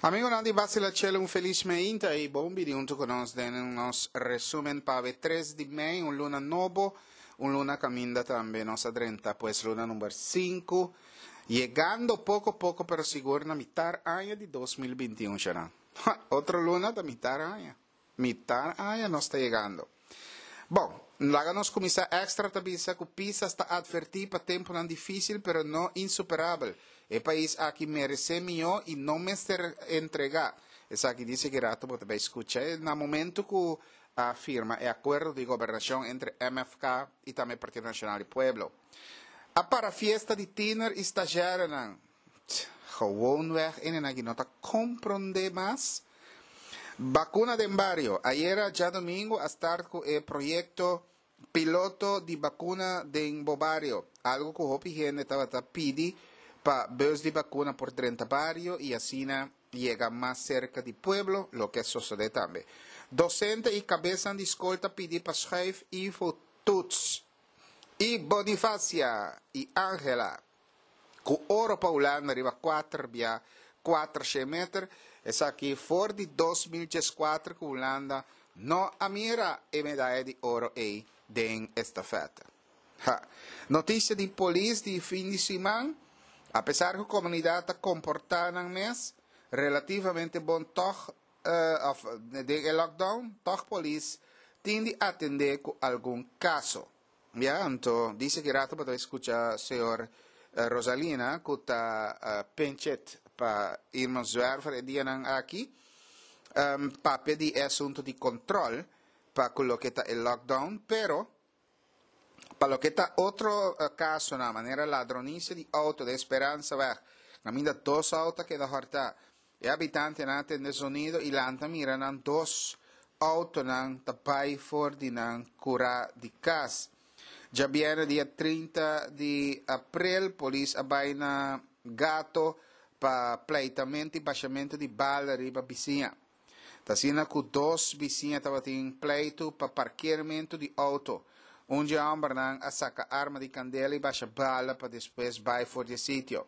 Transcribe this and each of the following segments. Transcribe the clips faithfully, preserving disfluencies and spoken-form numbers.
Amigonan di Basila Chele, un felis meinta i bon bini huntu ku nos den nos resumen pa tres di mei, un luna nobo, un luna kaminda tambe nos a drenta, pues luna number sinku, yegando poko poko pero sigur na mitar aña di dos mil binti un shana. Otro luna ta mitar aña. Mitar aña nos ta yegando. Bon, laga nos kuminsá. Extra ta bisa ku Pisas ta atvertí pa tempunan difísil pero no insuperabel. E pais aki meresé mihó i no mester entregá. Esaki dice ki rato bo ta bai skucha na momento ku a firma e akuerdo di gobernashon entre M F K i tambe Partido Nashonal di Pueblo. A para fiesta di tiener i stagiairenan. Gewoonweg hendenan aki no ta komprondé mas. Bakuna den bario. Ayera djadumingu a start ku e proyekto piloto di bakuna den bo bario. Algu ku hopi hende tabata pidi pa bus di bakuna por drenta bario i asina yega mas serka di pueblo, loke a sosodé tambe. Dosente i kabesan di skol ta pidi pa schuif I V O toets. I Bonifacia i Angela ku oro pa Hulanda riba kuater bia kuater meter. Esaki for di dos mil dieskuater ku Hulanda no a mira e medaya di oro ei den estafeta. Ha. Notisia di polis di fin di siman: apesar ku komunidat ta komportá nan mes relativamente bon toch uh, of den lockdown, toch polis tin di atendé ku algun kaso. Ja, anto, dice ki rato pa skucha señor uh, Rosalina, ku ta uh, pinchet pa Irma Zwerver e dianan aki, um, papia di asuntu di kontrol pa loke ta e lockdown, pero pa loke ta otro uh, kaso na manera ladronisia di outo di Speranzaweg, kaminda dos outo a keda hòrtá. E habitantenan a tende zonido i lanta mira nan dos outonan ta bai for di nan kurá di kas. Djabièrnè dia trinta di aprel, polis a bai na Gato pa pleitamentu i bashamentu di bala riba bisiña. T'asina ku dos bisiña tabatin pleitu pa parkeermentu di outo. Un di e hòmbernan a saka arma di kandela i basha bala pa despues bai for di sitio.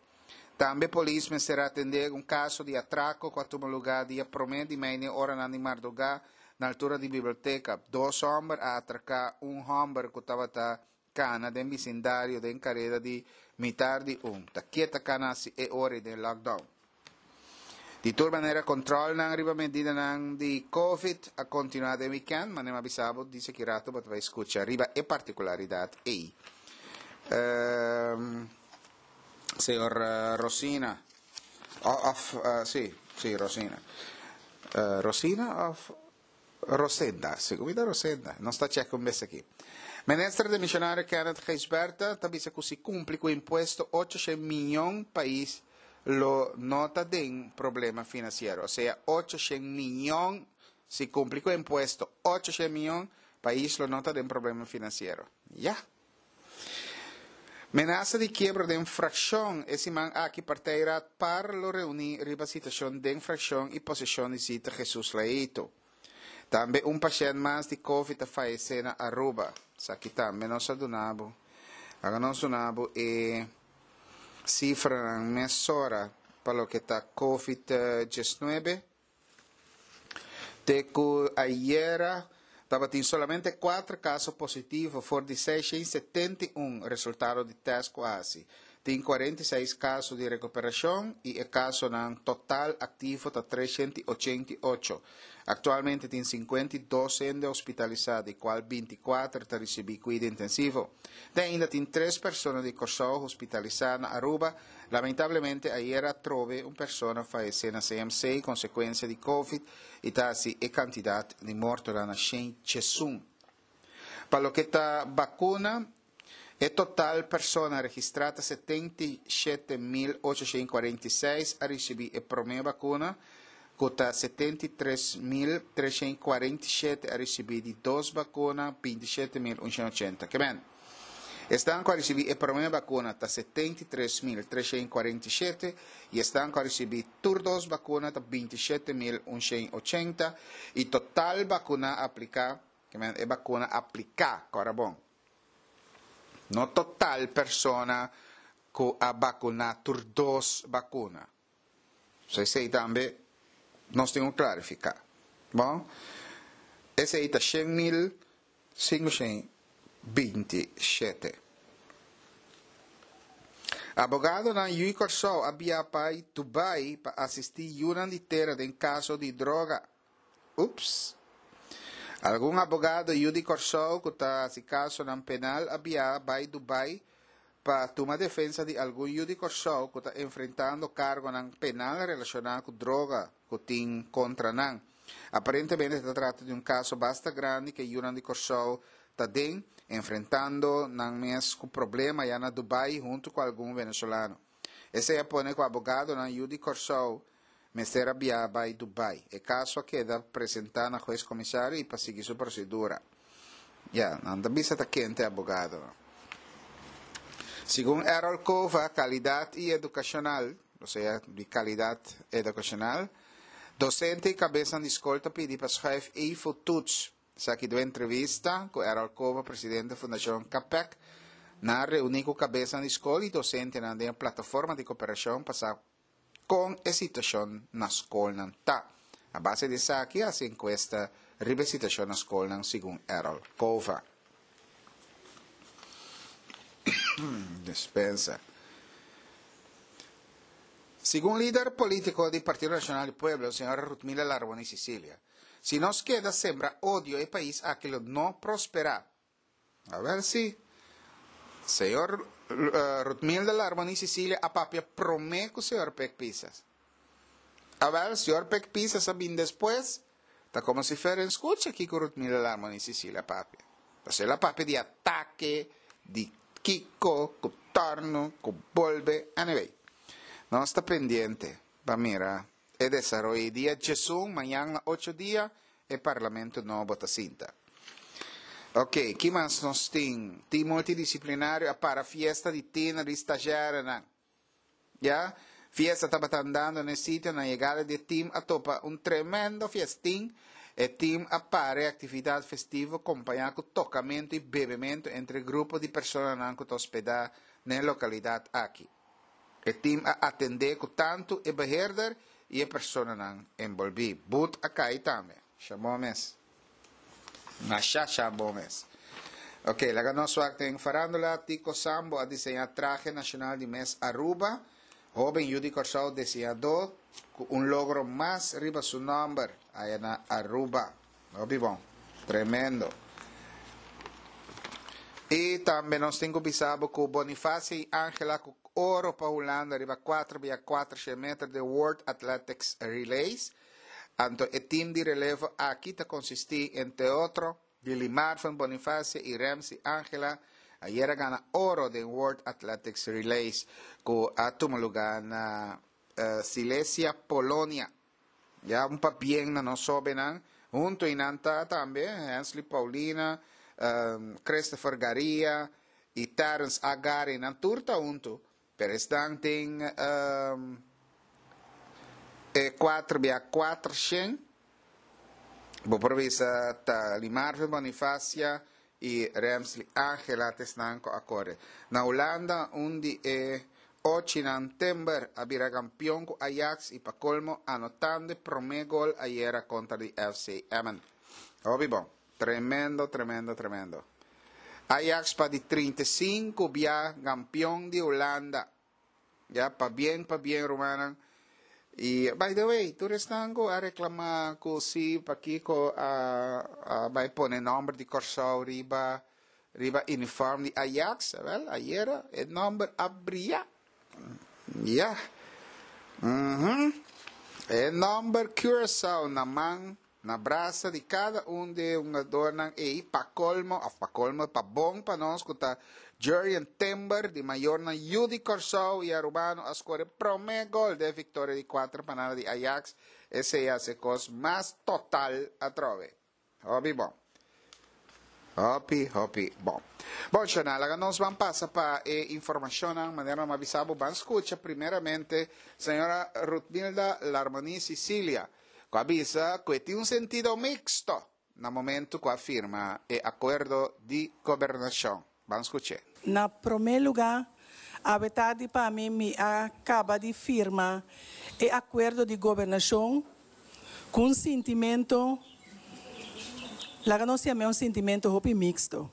Tambe polis mester atendé un kaso di atrako ku a tuma lugá dia promé di mei oranan di mardugá na altura di biblioteka. Dos hòmber a atraká un hòmber ku tabata kana den bisindario den kareda di mitar di un. Ta ken ta kana e ora di lockdown? Di tur manera, kontrolnan riba medidanan di COVID a kontinuá den weekend, manera m'a bisa bo, dice ki rato bo ta bai skucha riba e partikularidat ei. Um, señor uh, Rosina, of, uh, si, si, Rosina. Uh, Rosina of Rosenda, segun Rosenda, nos ta check un bes aki. Minister demishonario Kenneth Gijsbertha ta bisa ku si kumpli ku impuesto, ocho mion pais lo no ta den problema finansiero. Osea, ocho mion, si kumpli ku impuesto, ocho mion, pais lo no ta den problema finansiero. Ja. Menasa di kiebro den frakshon. E siman aki partijraad PAR lo reuní riba situashon den frakshon i posishon di Zita Jesus Leito. Tambe un pashènt mas di COVID a fayesé na Aruba. Esaki tambe nos a duna bo. Awor nos a duna bo e sifra mesora pa loke ta COVID diesnuebe. Te ku ayera tabatin solamente kuater kaso positivo for di seisshen setenta i un resultado di tèst ku a hasi. Tin kuarenta i seis kaso di rekuperashon i e kasonan total aktivo ta tresshen ochenta i ocho. Aktualmente tin sinkuenta i dos hende hospitalisá, di kual binti kuater ta risibí kuido intensivo. Te ainda tin tres persona di Kòrsou hospitalisá na Aruba. Lamentablemente, ayera trobe un persona a fayesé na C M C konsekuensia di COVID i ta asina e kantidat di morto na shen diesun. Pa loke ta vakuna, e total persona registrá setenta i shete mil ochoshen kuarenta i seis a risibí e promé vakuna, ku ta setenta i tres mil tresshen kuarenta i shete a risibí di dos vakuna, binti shete mil unshen ochenta. Ke men? Esnan ku a risibí e promé vakuna ta setenta i tres mil tresshen kuarenta i shete i esnan ku a risibí tur dos vakuna ta binti shete mil unshen ochenta i total vakuna apliká, ke men e vakuna apliká, kòrda bon. No total persona ku a vakuná tur dos vakuna. So esei tambe Nos tin ku klarifiká. Bon, esei ta shen mil sinku binti shete. Abogadonan yu'i Kòrsou a biaha pa Dubai pa asistí yunan di tera den kaso di droga. Ups. Algun abogado yu di Kòrsou ku ta hasi kasonan penal a biaha bai Dubai pa tuma defensa di algun yu di Kòrsou ku ta enfrentando kargonan penal relashoná ku droga ku tin kontra nan. Aparentemente ta trata di un kaso basta grandi ku yunan di Kòrsou ta den enfrentando nan mes ku problema ya na Dubai huntu ku algun venezolano. Esei a pone ku abogadonan yu di Kòrsou mester a biaha bai Dubai. E kaso a keda presentá na hues komisario i pa sigui su prosedura. Ya, nan ta bisa ta ken ta e abogadonan. Segun Errol Cova, kalidat i edukashonal, osea di kalidat edukashonal, dosente i kabesnan di skol ta pidi pa schuif EFO-toets. Esaki den entrevista ku Errol Cova, presidente Fundashon KAPEC, nan a reuní ku kabesnan di skol i dosentenan den e plataforma di koperashon pa sa kon e situashon na skolnan ta. A base di esaki a hasi enkuesta riba e situashon na skolnan, segun Errol Cova. Dispensa. Segun lider polítiko di Partido Nashonal di Pueblo, señora Ruthmila Larmonie Cecilia, si nos keda sembra odio e pais aki lo no prosperá. Awèl si. Señor Ruthmilda Larmonie Cecilia a papia promé ku señor Pek Pisas. Awèl, señor Pek Pisas a bin despues, ta komo si fuera en skucha kiko Ruthmilda Larmonie Cecilia a papia. Pasobra el a papia di atake, di kiko, ku tòrnu, ku bolbe, anyway. Nos ta pendiente pa mira e desaroyo i dia djesun, mañan na ocho dia, e parlamento nobo ta sinta. Ok, ki mas nos tin? Team multidisciplinario a para fiesta di tiener di stagiairenan. Ya, fiesta tabata andando na e sitio, na yegada di e team a topa un tremendo fiestin. E team a para e actividad festivo compaña cu tocamento y bebemento entre e grupo di personanan cu ta hospeda na e localidad aki. E team a atendé ku tantu e beheerder i e personanan enbolbí. But a kai tambe. Sha bon mes. Masha sha bon mes. Ok, laga nos wak den farándula. Tico Sambo a diseñá trahe nashonal di mes Aruba. Hóben yu di Kòrsou diseñadó ku un logro mas riba su nòmber aya na Aruba. Hopi bon. Tremendo. I tambe nos tin ku bisa bo ku Bonifacio i Angela ku oro pa Hulanda riba kuater bia kuater shen meter den World Athletics Relays. Anto e team di relevo aki ta konsistí entre otro di Limarvin Bonifacio i Remsy Angela. Ayera gana oro den World Athletics Relays ku a tuma lugá na Silesia, Polonia. Ya un pabien na nos hobennan. Hunto y nan ta tambe Hensley Paulina, Christopher Garia y Terence A. Gary. Nan tur ta hunto. Pero esnan tin e cuatro bia cuatro shen. Bo por bisa ta Limarvin Bonifacia y Remsley Angela ta esnan cu a core. Na Hulanda un di e Ochinan Timber a bira kampion ku Ajax i pa kolmo anotando e promé gol ayera kontra di F C Emmen. Hopi bon. Tremendo, tremendo, tremendo. Ajax pa di trinta i sinku bia kampion di Hulanda. Ya, pabien, pabien rumannan. I by the way, tur esnan ku a reklamá ku si pakiko a a bai pone nòmber di Kòrsou riba Riba uniform di Ajax, wel, ayera e nomber a bria. Ya. Mhm. E nomber Curaçao na man, na brasa di cada un di e hungadornan ey, pa colmo, of pa colmo, pa bon pa nos cu ta Jurrien Timber di mayornan yu di Corsou y Arubano a score e prome gol den e victoria di cuatro pa nada di Ajax. Esey a haci e cos mas total atrobe. Hopi bon. Hopi, hopi bon. Bon, Shona, laga nos ban pasa pa e informacionnan. Manera nos a bisa bo, ban scucha primeramente señora Ruthmilda Larmonie Cicilia, cu a bisa cu e tin un sentido mixto na momento cu a firma e acuerdo di gobernacion. Ban scuch'e. Na prome luga, awe tardi pa mi, mi a caba di firma e acuerdo di gobernacion Ku un sentimento, laga nos yam'é un sentimento hopi miksto.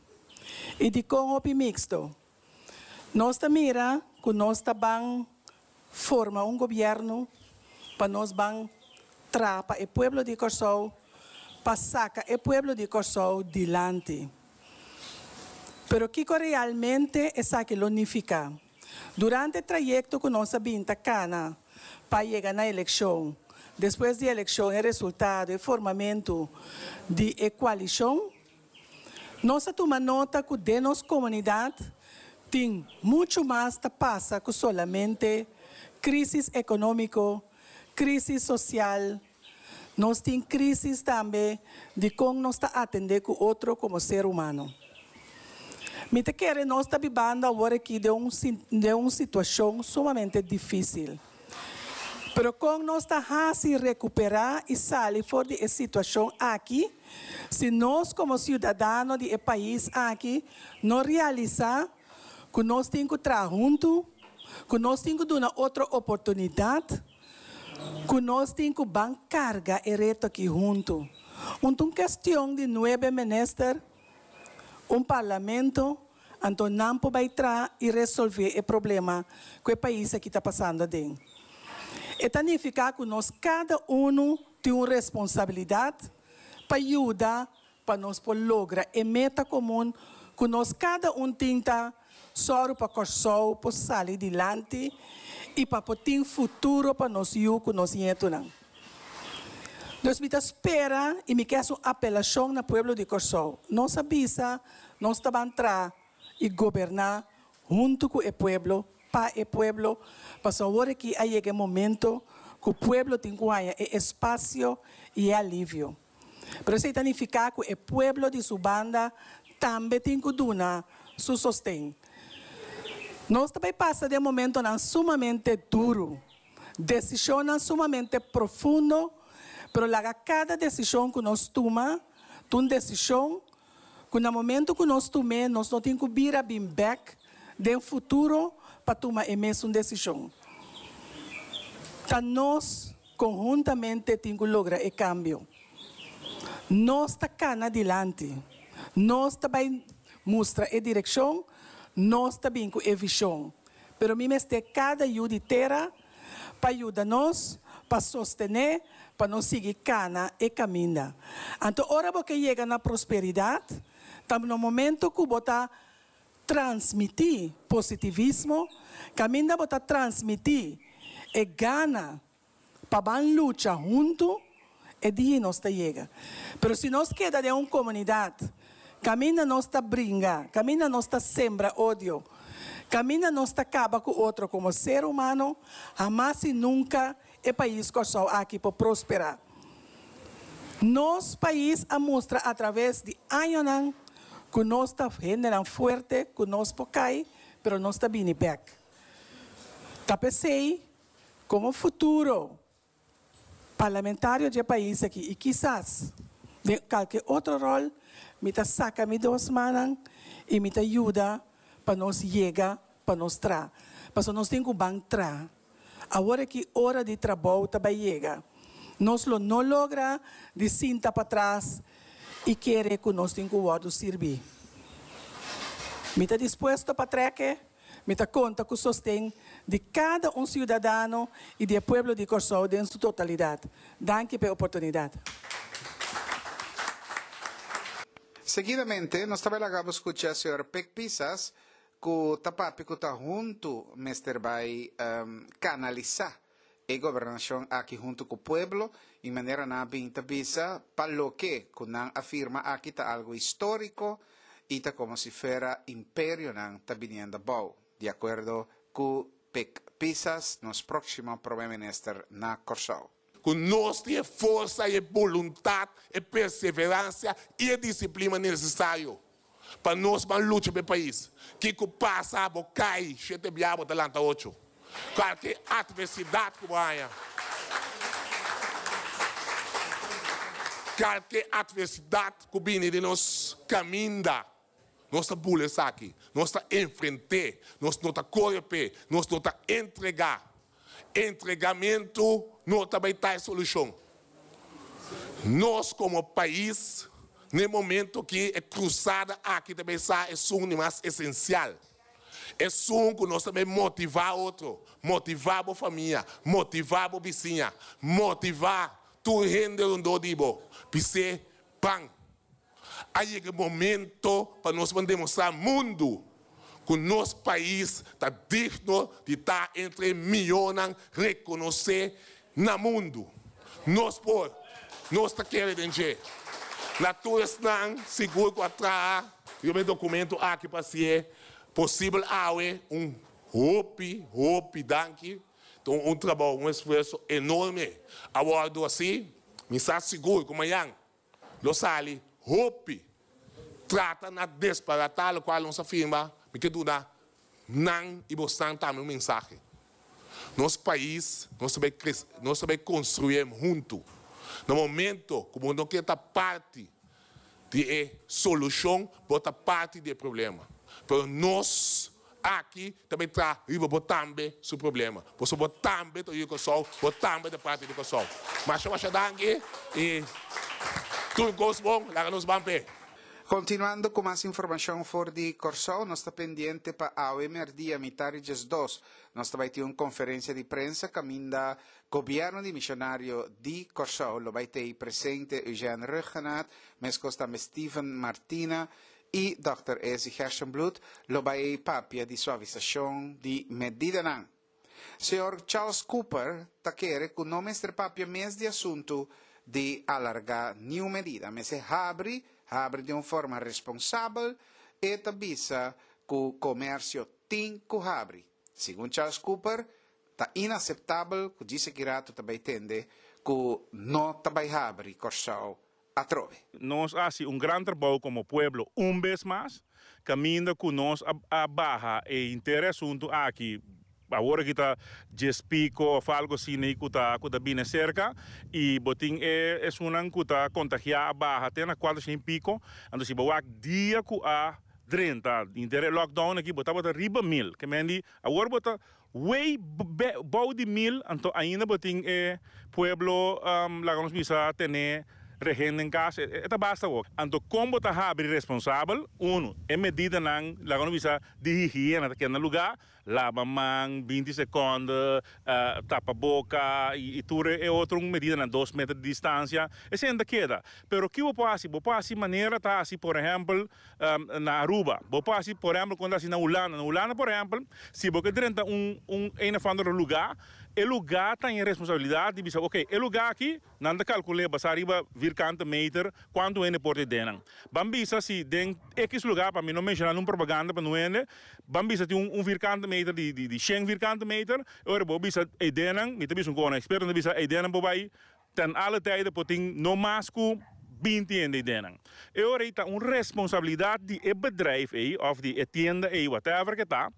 I dikon hopi miksto? Nos ta mira ku nos ta ban forma un gobièrnu pa nos ban traha pa e pueblo di Kòrsou, pa saka e pueblo di Kòrsou dilanti. Pero kiko realmente esaki lo nifiká? Durante e trayekto ku nos a bin ta kana pa yega na elekshon, despues di elekshon e resultado, e formamentu di e koalishon, nos a tuma nota ku den nos komunidat tin muchu mas ta pasa ku solamente krísis ekonómiko, krísis sosial. Nos tin krísis tambe di kon nos ta atendé ku otro komo ser humano. Mi ta kere nos ta bibando awor aki den un den un situashon sumamente difísil. Pero kon nos ta hasi rekuperá i sali for di e situashon aki si nos komo siudadano di e pais aki no realisá ku nos tin ku traha huntu, ku nos tin ku duna otro oportunidat, ku nos tin ku ban karga e reto aki huntu? Un ta un kestion di nuebe minister, un parlamento, anto nan por bai traha i resolvé e problema ku e pais aki ta pasando aden. E ta nifiká ku nos kada unu tin un responsabilidat pa yuda pa nos por logra e meta komun ku nos kada un tin ta sòru pa Kòrsou por sali dilanti i pa por tin futuro pa nos yu ku nos nietunan. Dus mi ta spera i mi ke hasi un apelashon na pueblo di Kòrsou. Nos a bisa nos ta ban traha i goberná huntu ku e pueblo, pa e pueblo, pasobra awor aki a yega e momento ku pueblo tin ku haña e espasio i e alivio. Pero esei ta nifiká ku e pueblo di su banda tambe tin ku duna su sosten. Nos ta bai pasa den momentonan sumamente duru, desishonnan sumamente profundo, pero laga kada desishon ku nos tuma ta un desishon ku na momento ku nos tum'é nos no tin ku bira bin bèk den futuro pa tuma e mesun desishon. Ta nos konhuntamente tin ku logra e kambio. Nos ta kana dilanti, nos ta bai mustra e direkshon, nos ta bin ku e vishon. Pero mi mester kada yu di tera pa yuda nos, pa sostené, pa nos sigui kana e kaminda. Anto ora bo ke yega na prosperidat, ta na momento ku bo ta transmití positivismo, kaminda bo ta transmití e gana pa ban lucha huntu, e dia nos ta yega. Pero si nos keda den un komunidat kaminda nos ta bringa, kaminda nos ta sembra odio, kaminda nos ta kaba ku otro komo ser humano, hamas i nunka e pais Kòrsou aki por prosperá. Nos pais a mustra atraves di añonan ku nos ta hendenan fuerte, ku nos por kai, pero nos ta bini bèk. Ta p'esei, komo futuro parlamentario dje pais aki i kisas den kalke otro ròl, mi ta saka mi dos mannan i mi ta yuda pa nos yega pa nos traha. Pasobra nos tin ku ban traha. Awor aki ora di trabou ta bai yega. Nos lo no logra di sinta patras i kere ku nos tin ku wòrdu sirbí. Mi ta dispuesto pa trèk'e, mi ta konta ku sosten di kada un siudadano i di e pueblo di Kòrsou den su totalidat. Danki pa e oportunidat. Seguidamente nos ta bai laga bo skucha señor Pik Pisas ku ta papia ku ta huntu mester bai kanalisá e gobernashon aki huntu ku pueblo i manera nan a bin ta bisa pa loke ku nan a firma aki ta algu históriko i ta komo si fuera imperionan ta biniendo abou, di akuerdo ku Pik Pisas, nos próksimo Prome Minister na Kòrsou. Ku nos tin e forsa i e boluntat, e perseveransia i e disiplina nesesario pa nos ban lucha pa e pais. Kiko pasa bo kai shete bia bo ta lanta ocho. Kualke atversidat ku bo haña, kalke atversidat ku bini den nos kaminda, nos ta bula esaki, nos ta enfrent'é, nos no ta kore p'e, nos no ta entregá. Entregamentu no ta bai ta e solushon. Nos komo pais, na momento ku e krusada aki tambe sa esun mas esensial. Esun ku nos tambe motivá otro, motivá e famia, motivá e bisiña, motivá tur hende rondó di bo, bis'é ban. A yega momento pa nos demostrá mundu ku nos pais ta digno di ta entre miónes rekonosé na mundu. Nos por, nos ta kere den dje. Na tur esnan, sigur ku a traha e dokumento aki pa ser posibel awe un hopi, hopi danki. Anto, un trabou, un esfuerso enorme. Awor, asina, mi ta sigur ku mañan, lo sali, hopi, trata na desbaratá loke nos a firma, mi ke duna nan i boso tambe un mensahe. Nos pais, nos ta bai nos ta bai konstruí huntu. Na momento ku no ke ta parti di solushon, bo ta parti di problema. Pero nos aki tambe ta riba bo tambe su problema. Bo bo tambe ta yu Kòrsou, bo tambe ta parti di Kòrsou. Masha masha danki i tur kos bon, laga nos ban p'e. Kontinuando ku mas informashon for di Kòrsou, nos ta pendiente pa awe mèrdia mitar di dos. Nos ta bai tin un konferensia di prensa kaminda gobièrnu demishonario di Kòrsou, lo bai tin presente Eugene Rhuggenaath, meskos tambe Steven Martina i Dòkter Ezi Gerstenbluth, lo bai papia di suavisashon di medidanan. Señor Charles Cooper ta kere ku no mester papia mes di asuntu di alargá ningun medida, mester habri, habri di un forma responsabel i ta bisa ku komersio tin ku habri. Segun Charles Cooper, ta inaseptabel ku djis aki ratu tambe tende ku no ta bai habri Kòrsou atrobe. Nos a hasi un gran trabou komo pueblo un bes mas, kaminda ku nos a, a baha e henter asuntu aki awor ku ta dies piko òf algu asina ku ta ku ta bini serka i bo tin e esunnan ku ta kontagiá a baha te na kuater i piko. Anto si bo wak dia ku a drenta henter lockdown aki, bo tabata riba mil, ke men di awor bo ta way bou di mil. Anto ainda bo tin e pueblo um, laga nos bisa tene rehen den kas, e ta basta ook. Anto kon bo ta habri responsabel, uno, e medidanan, laga nos bisa di higiena, ku na lugá, laba man, binti sekònde, uh, tapa boka i, i tur e otro medidanan, dos meter di distansia, esei ta keda. Pero kiko bo por hasi? Bo por hasi manera ta hasi, por ehèmpel, um, na Aruba. Bo por hasi, por ehèmpel, kon hasi na Hulanda. Na Hulanda, por ehèmpel, si bo drenta un un een of ander lugá, e lugá tin responsabilidat di bisa, ok, e lugá aki, nan ta kalkulá, basá riba vierkante meter, kuantu hende por den. Ban bisa si den X lugá, pa mi no menshoná un propaganda pa no hende, ban bisa tin un, un vierkante meter di, di, di shen vierkante meter, ora bo bisa e denen, mi ta bisa un eksperto, bisa e denen bo bai ten alle tijden por tin no mas ku binti hende denen. E ora ta un responsabilidat di e bedrijf ei, òf di e tienda ei, whatever ku ta,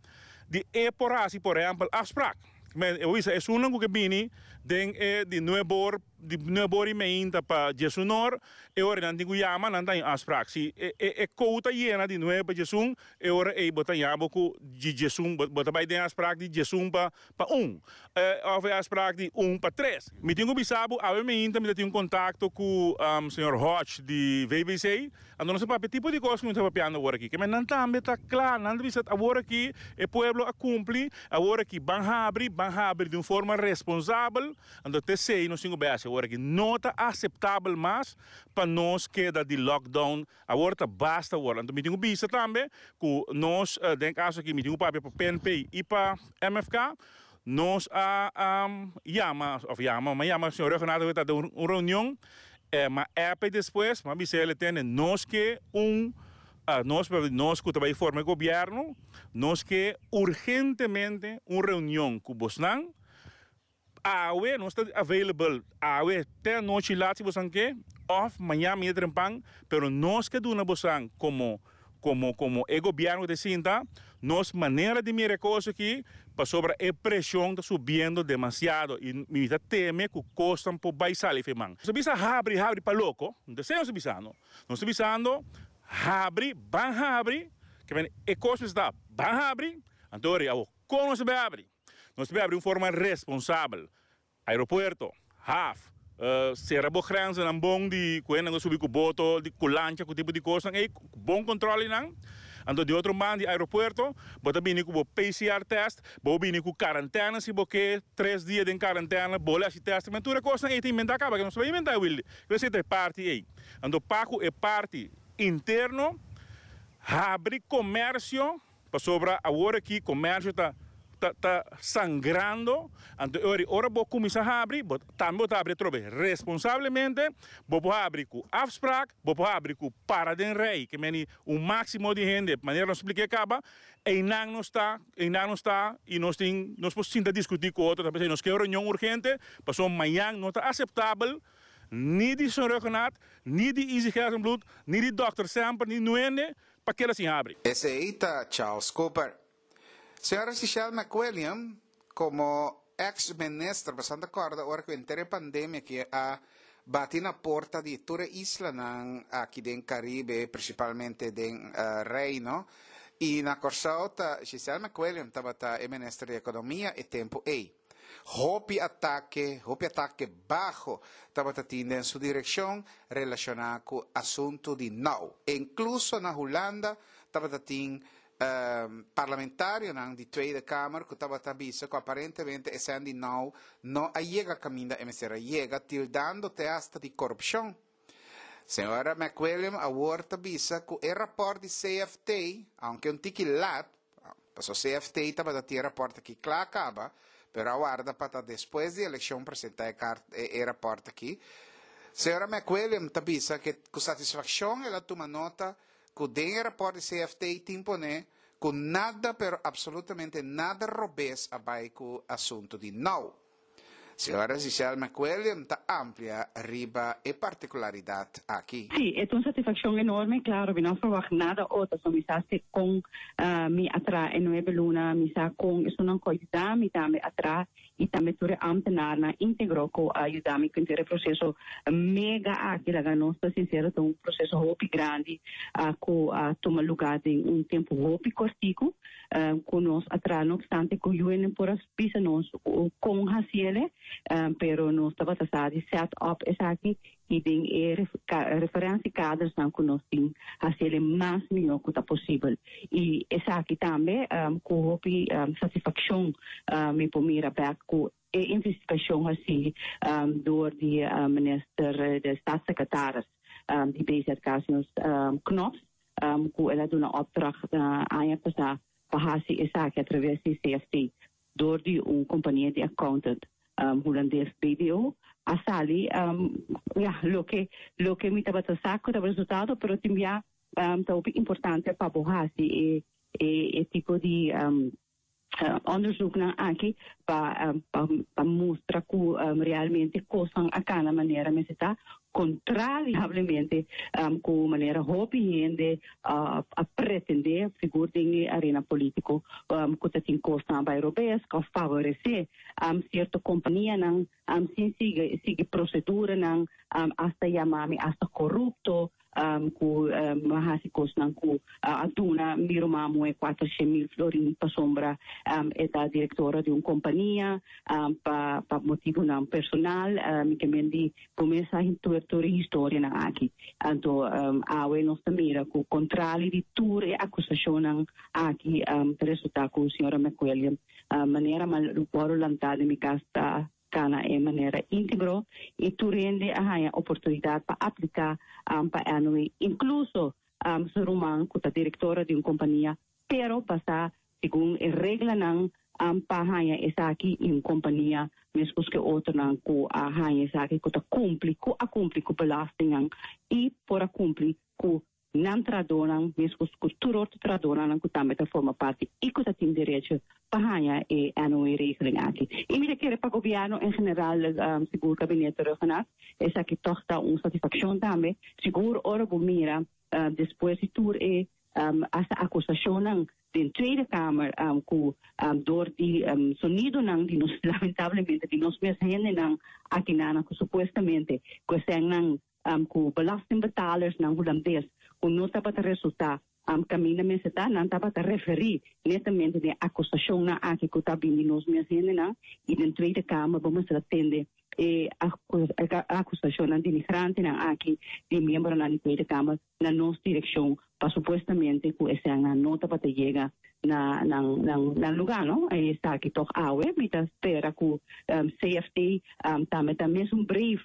di e por hasi, por ehèmpel, afspraak. Men, eu bisa, é um que bini, den e di nuebe or, di nuebe or i mei pa diesun or, e ora nan tin ku yama, nan tin afspraak. Si e, e, e quota yena di nuebe pa diesun, e ora e bo ta yama ku di diesun, bo ta bai den afspraak di diesun pa pa un. Eh, òf e afspraak di un pa tres. Mi tin ku bisa bo, awe mainta mi tin un kontakto ku um, señor Hodge di V B C. Anto nos a papia tipo di kos ku mi ta papiando awor aki. Ke men nan tambe ta kla, nan bisa awor aki e pueblo a kumpli, awor aki ban habri, ban habri di un forma responsabel. Anto T C nos tin ku awor aki no ta aseptabel mas pa nos keda di lockdown. Awor ta basta awor. Anto mi tin ku bisa tambe ku nos uh, den kaso aki mi tin ku papia pa P N P i pa M F K. Nos a um, yama, òf yama, m'a yama señor Rhuggenaath ta un, un reunion, eh, m'a app despues, m'a bisa e tene nos ke un uh, nos nos ku tambe forma gobièrnu, nos ke urgentemente un reunion ku bosnan. Awe nos ta available, awe te anochi lat si boso ke, òf mañan mi trempan, pero nos ke duna bosnan komo komo komo e gobièrnu ta sinta, nos manera di mira kos aki, pasobra e preshon ta subiendo demasiado i mi ta teme ku kos por bai sali fo'i man. Nos bisa habri, habri pa loko, no ta nos bisando. Nos bisando habri, ban habri, ke men e kos ta ban habri, anto kon nos bai habri? Nos bai habri di un forma responsabel. Aeropuerto, haf, Uh, sera bo grenzen bon di ku nan subi ku boto, di ku lancha, ku tipo di kos, ei bon controle nan. Anto di otro banda di aeropuerto, bo ta bini ku P C R test, bo bini ku kuarentena si bo ke tres dia di kuarentena, bo hasi test, ma tur kos ei tin inventá kaba, ku no sa inventá Willy. Esei ta parti ei. Anto pa ku e parti interno, habri komersio, pasobra awor aki komersio ta ta, ta sangrando, anto ora ora bo kuminsá habri, bo tambe bo habri trobe responsablemente, bo por habri ku afspraak, bo por habri ku para den rij, ke men un máksimo di hende, manera nos spliká kaba, e nan no ta, e nan no ta, i nos tin, nos por sinta diskutí ku otro, tambe nos ke reunion urgente, pasobra mañan no ta aseptabel, ni di señor Rhuggenaath, ni di Izzy Gerstenbluth, ni di Dokter Semper, ni Nuende, pa keda sin habri. Esei ta Charles Cooper. Señora Giselle McWilliam, komo ex-minister, bastante kòrda ora ku henter pandemia ku a bati na porta di tur isla aki den Karibe, prinsipalmente den uh, Reino, i na Kòrsou, Giselle McWilliam tabata e minister di Ekonomia e tempu ei. Hopi atake, hopi atake baho tabata tin den su direkshon relashoná ku asuntu di NAU. Inkluso na Hulanda tabata tin um, parlamentario di Tweede Kamer ku tabata bisa ku aparentemente e sèn di NAU no a yega kaminda e mester a yega, tildando te hasta di korupshon. Señora McWilliam awor ta bisa ku e rapòrt di C F T, aunke un tiki lat, paso C F T tabata tin rapòrt aki kla kaba, pero a warda pa despues di elekshon presentá e rapòrt aki. Señora McWilliam ta bisa ku ku satisfakshon el a tuma nota ku den rapòrt di C F T tin poné ku nada, pero absolutamente nada robes a bai ku asuntu di NAU. Señora Giselle McWilliam ta amplia riba e partikularidat aki. Sí, e ta un satisfakshon enorme, klaro, mi no a verwacht nada otro, so mi sa kon uh, mi a traha e nuebe luna, mi sa kon esnan ku a yuda mi tambe a traha i tambe tur ambtenaar íntegro ku a yuda mi ku e proseso mega aki, laga nos ta sinsero, un proseso hopi grandi uh, ku a uh, tuma lugá den un tempu hopi kòrtiku, uh, ku nos a traha, no opstante ku U N por a bisa nos kon hasié, um, pero nos tabata sa di set up esaki i den e referentiekaders nan ku nos tin hasié mas mihó ku ta posibel. I esaki tambe um, ku hopi um, satisfakshon um, mi por mira back ku e investigashon asina um, door di uh, minister, de staatssecretaris um, di B Z K, um, Knops, um, ku el a duna opdracht uh, aña pasá pa hasi esaki atraves di C F T door di un kompania di accountant um, hulandes B D O a sali um, ja, loke loke mi tabata sa ku ta resultado, pero tambe um, ta importante pa hasi e e, e tipo di um, uh, onderzoek nan aki pa um, pa, pa mustra ku um, realmente kos a kana manera mester ta, kontrariamente um, ku manera hopi hende uh, a pretendé, sigur den arena polítiko, um, ku tin kos bai robes, ku favoresé um, sierto kompania nan um, sin sigui sigui prosedura nan, um, hasta yama mi hasta korupto, um, ku um, hasi kos nan ku uh, a duna mi ruman muhé kuatershen mil florin pasombra um, e ta direktora di un kompania um, pa pa motibu nan personal, um, ke men di kuminsá tur tur historia nan aki. Anto um, awe nos ta mira ku kontrali di tur e akusashon nan aki, um, resultá ku señora McWilliam, uh, manera m'a wòrdu lantá den mi kas, ta kana e manera íntegro i tur hende a haña oportunidat pa apliká um, pa N O W, inkluso um, su ruman ku ta direktora di un kompania, pero pasa segun e regla nan um, pa haña esaki un kompania meskos ku otro nan ku a haña esaki ku ta kumpli ku a kumpli ku belasting i por a kumpli ku nan trahadónan meskos ku tur otro trahadónan ku tambe ta forma parti i ku tin derecho pa haña e N O W regeling aki. I mi ta kere pa gobièrnu en general, um, sigur gabinete Rhuggenaath, esaki toch ta un satisfakshon tambe. Sigur ora bo mira uh, despues di tur e um, essa acusação den Tweede Kamer um, ku um, door di um, sonido nan di nos, lamentablemente di nos mes hende nan aki nan ku supuestamente ku nan um, ku belastingbetalers nan hulandes ku no tabata resultá um, kaminda mester ta, nan tabata referí netamente di akusashon nan aki ku ta bin di nos mes hende nan i den Tweede Kamer bo mester tende. E akusashon denigrante nan aki di miembronan di Tweede Kamer na nos direkshon pa supuestamente ku esnan no tabata yega na na na na lugá, no? Esaki toch awe mi ta spera ku um, C F T um, tambe tambe un brief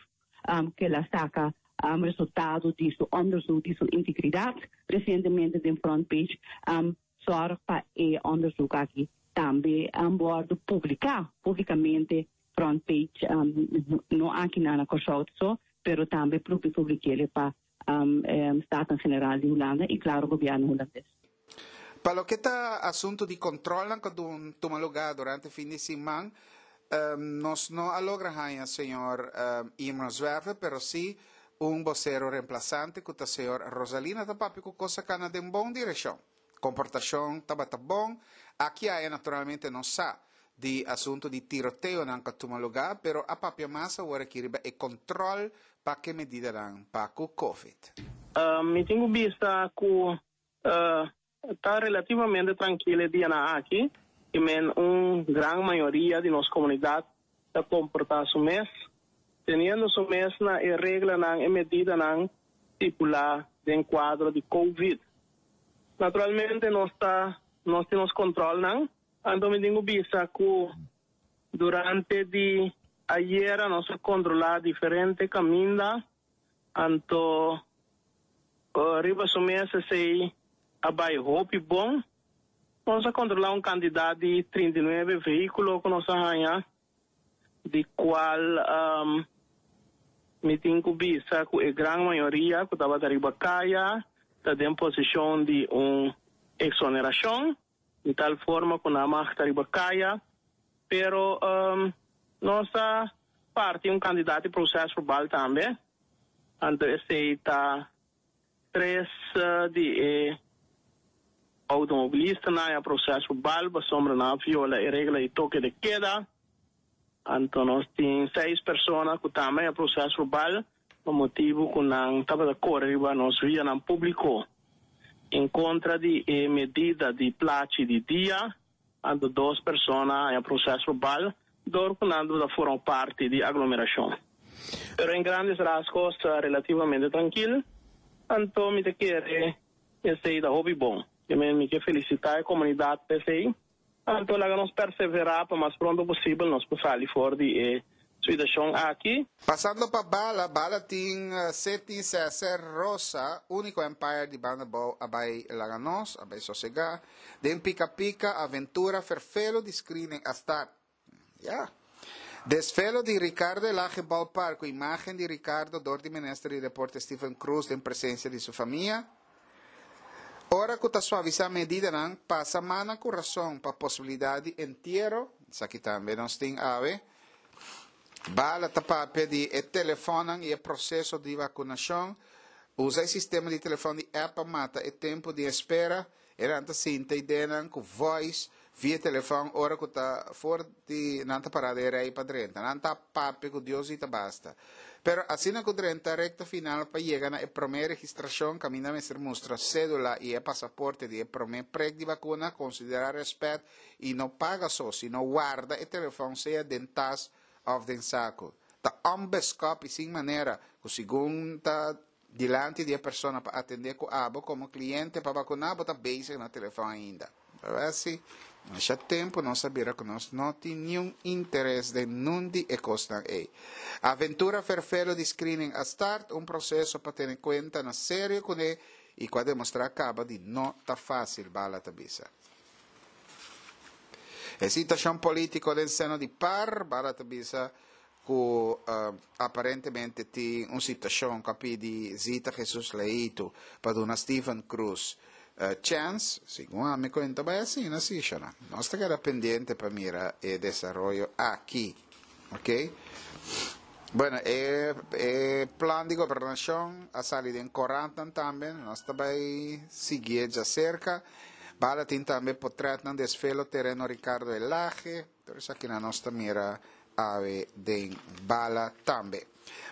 um, ku el a saka um, resultado di su onderzoek, di su integridat resientemente den front page, um, zorg pa e onderzoek aki tambe um, wòrdu publiká públikamente front page, um, no aki na Kòrsou so, pero tambe publik'é pa um, um, Staten-Generaal di Hulanda i klaro gobièrnu hulandes. Pa loke ta asuntu di kontròl ku a tuma lugá durante fin di siman, um, nos no a logra haña señor um, Imran Zwerver, pero sí un bosero remplasante ku ta señor Rosalina, ta papia ku kos a kana den bon direkshon. Komportashon tabata bon. Aki ei naturalmente no sa di asuntu di tiroteonan ku a tuma lugá, pero a papia mas awor aki riba e kontròl pa ku medidanan pa ku COVID. Uh, mi tin bista ku uh, ta relativamente trankil e dianan aki i men un gran mayoria di nos komunidat ta komportá su mes, teniendo su mes na e reglanan i medidanan stipulá den kuadro di COVID. Naturalmente nos ta nos tin kontròlnan, anto mi tin bista ku durante di ayera nos a kontrolá diferente kaminda, anto uh, riba su mes esei a bai hopi bon. Nos a kontrolá un kantidat di trinta i nuebe vehíkulo ku nos a haña, di kual um, mi tin ku bisa ku e gran mayoria ku tabata riba kaya ta den posishon di un eksonerashon, di tal forma ku nan mag ta riba kaya, pero um, nos a parti un kantidat di prosèsverbal tambe. Anto esei ta tres uh, di eh, outomobilistanan a prosèsverbal pasobra nan a viola e regla di toke de keda. Anto nos tin seis persona ku tambe a prosèsverbal pa motibu ku nan tabata kore riba nos vianan públiko en kontra di eh, medida di plachi di dia. Anto dos persona a prosèsverbal dor ku nan a forma parti di aglomerashon. Pero en grandes rasgos relativamente trankil. Anto mi ta kere esei ta hopi bon. I mi ke felisitá e komunidat p'esei. Anto laga nos perseverá pa mas pronto posibel nos por sali for di e situashon aki. Pasando pa Bala, Bala tin uh, Seti Cesar Rosa, úniko umpire di Banda Bou a bai laga nos, a bai sosegá. Den Pika Pika, aventura, ferfelo di screening a start. Ja. Desfile di Ricardo Elhage Ballpark, imágen di Ricardo dor di Minister di Deporte Stephen Cruz den presensia di su famia. Ora ku ta suavisá medidanan, pasa man na kurason pa posibilidat di entiero. Esaki tambe nos tin awe. Bala ta papia di e telefòn i e proseso di vakunashon. Usa e sistema di telefòn di app pa mata e tempu di espera. E nan ta sinta ideia ku voice via telefòn ora ku ta for di nan ta pará den rei pa drenta. Nan ta papia ku Dios i ta basta. Pero asina ku drenta rekta final pa yega na e promé registrashon, kaminda mester mustra sédula i e pasaporte di e promé prek di vakuna, konsiderá rèspèt i no paga so, sino warda e telefòn sea den tas òf den saku. Ta onbeskòp i sin manera, ku segun ta dilanti di e persona pa atendé ku abo komo kliente pa vakuná, bo ta bezig na telefòn ainda. Asina, ya tempu nos a bira ku nos no tin ningun interes den ningun di e kosnan ei. Aventura ferfelo di screening a start, un proseso pa tene kuenta na serio kuné i ku a demostrá kaba di no ta fásil, Bala ta bisa. E situashon polítiko den seno di PAR, Bala ta bisa ku uh, aparentemente tin un situashon ku a pidi Zita Jesus Leito pa duna Stephen Cruz uh, chance, segun ami kuenta bai asina, asina, asina. Nos ta keda pendiente pa mira e desaroyo aki, ok? Bueno, e, e plan di gobernashon a sali den korant tambe, nos ta bai sigui di serka. Bala tin tambe portrèt desfile tereno Ricardo Elhage, anto esaki nos ta mira awe den Bala tambe.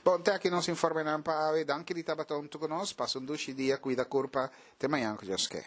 Bon, te aki nos informenan pa awe, danki di tabata huntu ku nos, pasa un dushi dia, kuida kurpa, te mañan ku Dios ke.